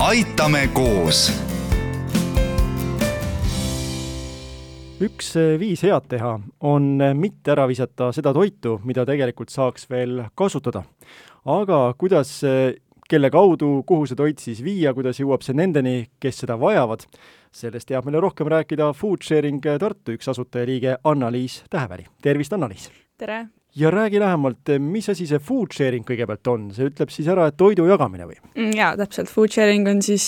aitame koos. Üks viis head teha on mitte ära visata seda toitu, mida tegelikult saaks veel kasutada. Aga kuidas, kelle kaudu, kuhu see toit siis viia, kuidas jõuab see nendeni, kes seda vajavad, sellest teab meile rohkem rääkida Foodsharing Tartu üks asutajaliige Anna-Liis Täheväli. Tervist, Anna-Liis! Tere! Ja räägi lähemalt, mis asi see Foodsharing kõigepealt on? See ütleb siis ära, et toidu jagamine või? Jaa, täpselt. Foodsharing on siis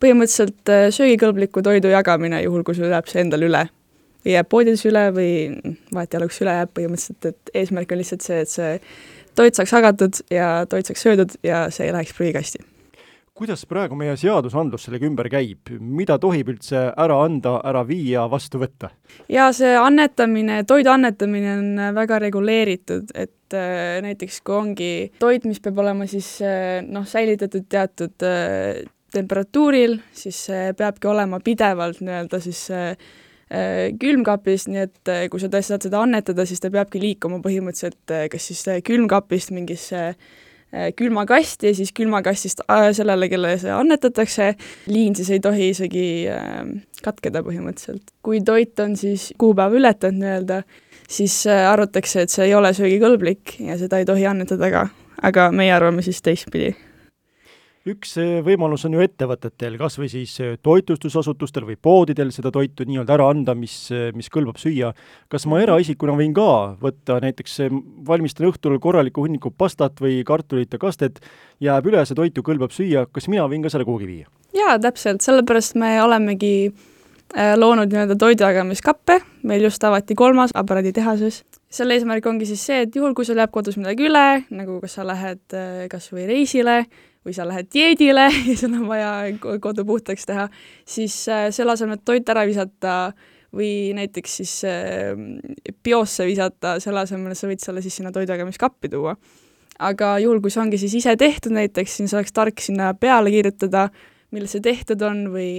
põhimõtteliselt söögikõlbliku toidu jagamine, juhul kui sul jääb see endal üle. Või jääb poodides üle või vahet jaluks üle jääb põhimõtteliselt, et eesmärk on lihtsalt see, et see toit saaks jagatud ja toit saaks söödud ja see ei läheks prügikasti. Kuidas praegu meie seadusandlus sellega ümber käib? Mida tohib üldse ära anda, ära viia, vastu võtta? Ja see annetamine, toidu annetamine on väga reguleeritud, et näiteks kui ongi toit, mis peab olema siis säilitatud teatud temperatuuril, siis peabki olema pidevalt nii-öelda siis külmkapist, nii et kui sa tõesti saad seda annetada, siis ta peabki liikuma põhimõtteliselt kas siis külmkapist mingisse külmakasti ja siis külmakastist sellele, kelle see annetatakse. Liin siis ei tohi isegi katkeda põhimõtteliselt. Kui toit on siis kuupäeva ületanud nii-öelda, siis arvatakse, et see ei ole söögikõlblik ja seda ei tohi annetada ka, aga meie arvame siis teistpidi. Üks võimalus on ju ettevõtetel, kas või siis toitlustusasutustel või poodidel seda toitu nii-öelda ära anda, mis kõlbab süüa. Kas ma eraisikuna võin ka võtta näiteks valmistan õhtul korraliku hunniku pastat või kartulite kastet, jääb üle, see toitu kõlbab süüa, kas mina võin ka selle kuhugi viia? Jaa, täpselt, sellepärast me olemegi loonud nii-öelda toidujagamiskappe, meil just avati 3. aparaaditehases. Selle eesmärk ongi siis see, et juhul kui sul jääb kodus midagi üle, nagu kas sa lähed kas või reisile või sa lähed dieedile ja sul on vaja kodu puhtaks teha, siis selle asemel, et toit ära visata või näiteks siis biosse visata, selle asemel sa võid selle siis sinna toidujagamiskappi tuua. Aga juhul, kui see ongi siis ise tehtud näiteks, siis oleks tark sinna peale kirjutada, millal see tehtud on või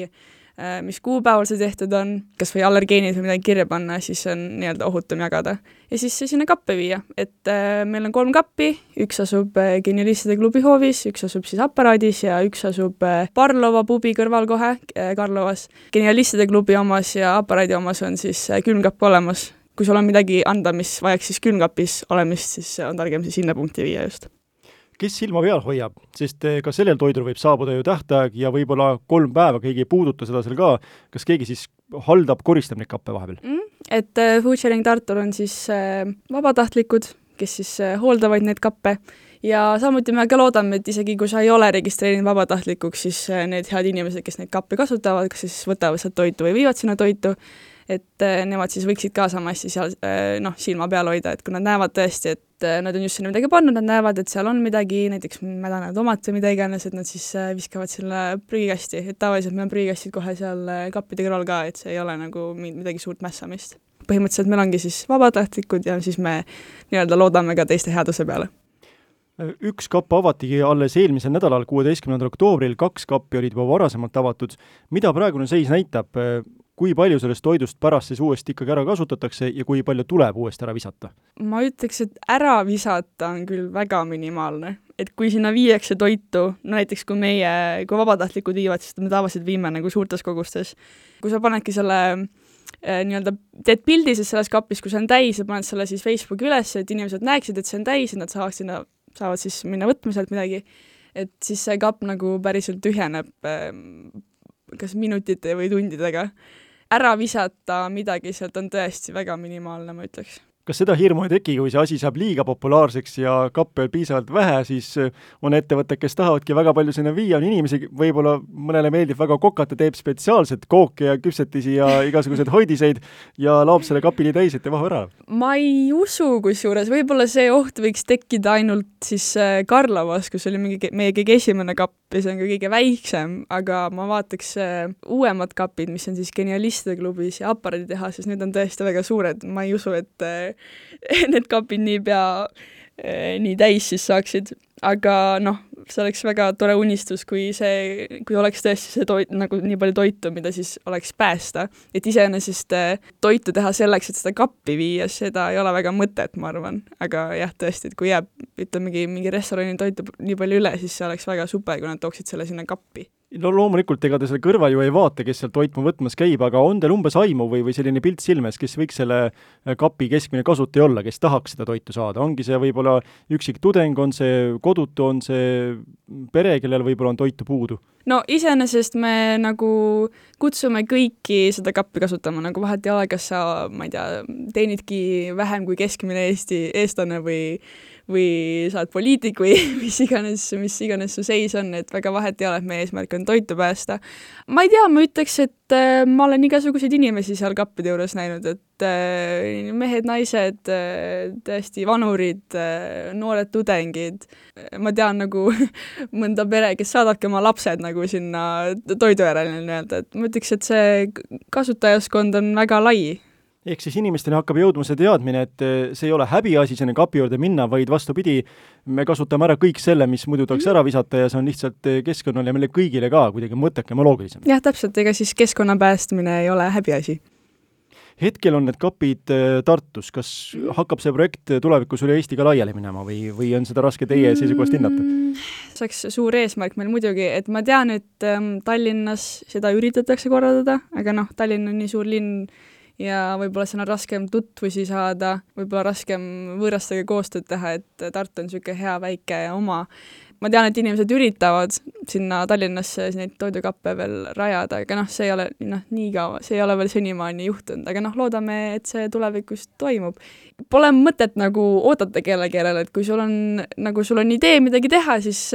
mis kuupäeval see tehtud on, kas või allergeenid või midagi kirja panna, siis on nii-öelda ohutum jagada. Ja siis see sinna kappe viia, et meil on 3 kappi, üks asub Genialistide klubi hoovis, üks asub siis aparaadis ja üks asub Parlova pubi kõrval kohe Karlovas. Genialistide klubi omas ja aparaadi omas on siis külmkapp olemas. Kui sul on midagi anda, mis vajaks siis külmkapis olemist, siis on targem siis sinna punkti viia just. Kes silma peal hoiab, sest ka sellel toidul võib saabuda ju tähtaeg ja võib-olla 3 päeva keegi ei puuduta seda seal ka. Kas keegi siis haldab, koristab neid kappe vahepeal? Et Foodsharing Tartul on siis vabatahtlikud, kes siis hooldavad neid kappe ja samuti me ka loodame, et isegi kui sa ei ole registreerinud vabatahtlikuks, siis need head inimesed, kes neid kappe kasutavad, kas siis võtavad sealt toitu või viivad sinna toitu, et nemad siis võiksid ka samasti seal silma peal hoida, et kui nad näevad tõesti, et nad on just sinna midagi pannud, nad näevad, et seal on midagi, näiteks mädane tomat või mida iganes, et nad siis viskavad selle prügikasti, et tavaliselt meil on prügikastid kohe seal kappide kõrval ka, et see ei ole nagu midagi suurt mässamist. Põhimõtteliselt meil ongi siis vabatahtlikud ja siis me nii-öelda loodame ka teiste headuse peale. Üks kapp avatigi alles eelmisel nädalal, 16. oktoobril, 2 kappi olid juba varasemalt avatud. Mida praegune seis näitab? Kui palju sellest toidust pärast siis uuesti ikkagi ära kasutatakse ja kui palju tuleb uuesti ära visata? Ma ütleks, et ära visata on küll väga minimaalne. Et kui sinna viiakse toitu, näiteks kui vabatahtlikud viivad, siis me tavaliselt viime nagu suurtes kogustes. Kui sa panedki selle nii-öelda teed pildi selles kapis, kui see on täis ja paned selle siis Facebooki üles, et inimesed näeksid, et see on täis ja nad saavad siis minna võtma sealt midagi. Et siis see kapp nagu päriselt tühjeneb kas minutite või tundidega. Ära visata midagi sealt on tõesti väga minimaalne, ma ütleks. Kas seda hirmu ei teki, kui see asi saab liiga populaarseks ja kappe on piisavalt vähe, siis on ettevõtted, kes tahavadki väga palju sinna viia, on inimesi, võib-olla mõnele meeldib väga kokata, teeb spetsiaalselt kooke ja küpsetisi ja igasuguseid hoidiseid ja laob selle kapili täis, et ei vahu ära? Ma ei usu kusjuures, võib-olla see oht võiks tekkida ainult siis Karlovas, kus oli meie kõige esimene kapp ja see on ka kõige väiksem, aga ma vaataks uuemad kapid, mis on siis Genialistide klubis ja aparaaditehases, need on tõesti väga suured, ma ei usu, et need kapid niipea nii täis siis saaksid. Aga see oleks väga tore unistus, kui oleks tõesti see toit, nagu nii palju toitu, mida siis oleks päästa. Et iseenesest toitu teha selleks, et seda kappi viia, seda ei ole väga mõtet, ma arvan. Aga jah, tõesti, et kui jääb, ütlemegi, mingi restorani toitu nii palju üle, siis see oleks väga super, kui nad tooksid selle sinna kappi. No loomulikult, ega te selle kõrval ju ei vaata, kes seal toitma võtmas käib, aga on teil umbes aimu või selline pilt silmes, kes võiks selle kapi keskmine kasutaja olla, kes tahaks seda toitu saada? Ongi see võib-olla üksik tudeng, on see kodutu, on see pere, kellel võib-olla on toitu puudu? No iseenesest me nagu kutsume kõiki seda kappi kasutama, nagu vahet ei ole, kas sa, ma ei tea, teenidki vähem kui keskmine eestlane või sa oled poliitik või mis iganes su seis on, et väga vahet ei ole, et meie eesmärk on toitu päästa. Ma ei tea, ma ütleks, et ma olen igasuguseid inimesi seal kappide juures näinud, et mehed, naised, tõesti vanurid, noored tudengid. Ma tean nagu mõnda pere, kes saadabki oma lapsed nagu sinna toidu järele nii-öelda, et ma ütleks, et see kasutajaskond on väga lai. Ehk siis inimestele hakkab jõudma see teadmine, et see ei ole häbiasi sinna kapi juurde minna, vaid vastupidi, me kasutame ära kõik selle, mis muidu tahaks ära visata ja see on lihtsalt keskkonnale ja meile kõigile ka kuidagi mõttekam ja loogilisem. Jah, täpselt, ega siis keskkonna päästmine ei ole häbiasi. Hetkel on need kapid Tartus, kas hakkab see projekt tulevikus üle Eesti ka laiali minema või on seda raske teie seisukohast hinnata? See oleks suur eesmärk meil muidugi, et ma tean, et Tallinnas seda üritatakse korraldada, aga Tallinn on nii suur linn ja võib-olla seal on raskem tutvusi saada, võib-olla raskem võõrastega koostööd teha, et Tartu on niisugune hea väike ja oma. Ma tean, et inimesed üritavad sinna Tallinnasse neid toidukappe veel rajada, aga see ei ole nii kaua, see ei ole veel senimaani juhtunud, aga loodame, et see tulevikus toimub. Pole mõtet nagu oodata kellegi järele, et kui sul on idee midagi teha, siis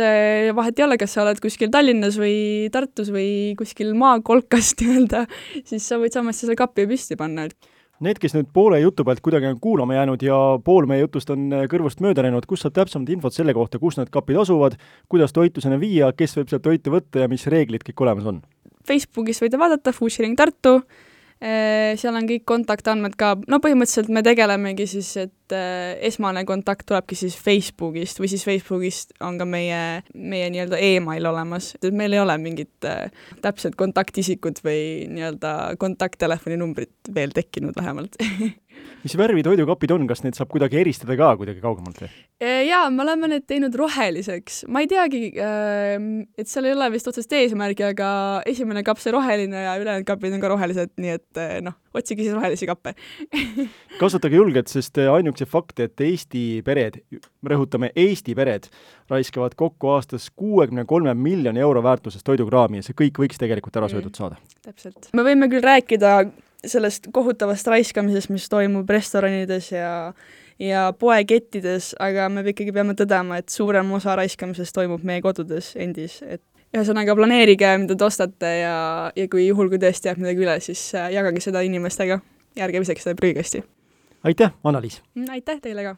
vahet ei ole, kas sa oled kuskil Tallinnas või Tartus või kuskil maakolkas nii-öelda, siis sa võid samas selle kappi püsti panna. Need, kes nüüd poole jutu pealt kuidagi on kuulama jäänud ja pool meie jutust on kõrvust mööda läinud, kus saab täpsemalt infot selle kohta, kus need kapid asuvad, kuidas toitu sinna viia, kes võib sealt toitu võtta ja mis reeglid kõik olemas on? Facebookis võite vaadata Food Sharing Tartu, seal on kõik kontaktandmed ka, põhimõtteliselt me tegelemegi siis, et esmane kontakt tulebki siis Facebookist või siis Facebookist on ka meie nii-öelda email olemas, et meil ei ole mingit täpset kontaktisikud või nii-öelda kontakttelefoni numbrit veel tekkinud vähemalt. Mis värvi toidukapid on, kas need saab kuidagi eristada ka kuidagi kaugemalt? Jaa, me oleme need teinud roheliseks. Ma ei teagi, et seal ei ole vist otsest eesmärgi, aga esimene kapp see roheline ja ülejäänud kapid on ka rohelised, nii et otsige siis rohelisi kappe. Kasutage julgelt, sest ainuks see fakt, et Eesti pered, rõhutame Eesti pered, raiskavad kokku aastas 63 miljoni euro väärtuses toidukraami ja see kõik võiks tegelikult ära söödud saada. Täpselt. Me võime küll rääkida sellest kohutavast raiskamisest, mis toimub restoranides ja poekettides, aga me ikkagi peame tõdema, et suurem osa raiskamisest toimub meie kodudes endis, et ühesõnaga planeerige, mida te ostate ja kui juhul, kui tõesti jääb midagi üle, siis jagage seda inimestega ja ärge visake seda prügikasti. Aitäh, Anna-Liis! Aitäh teile ka!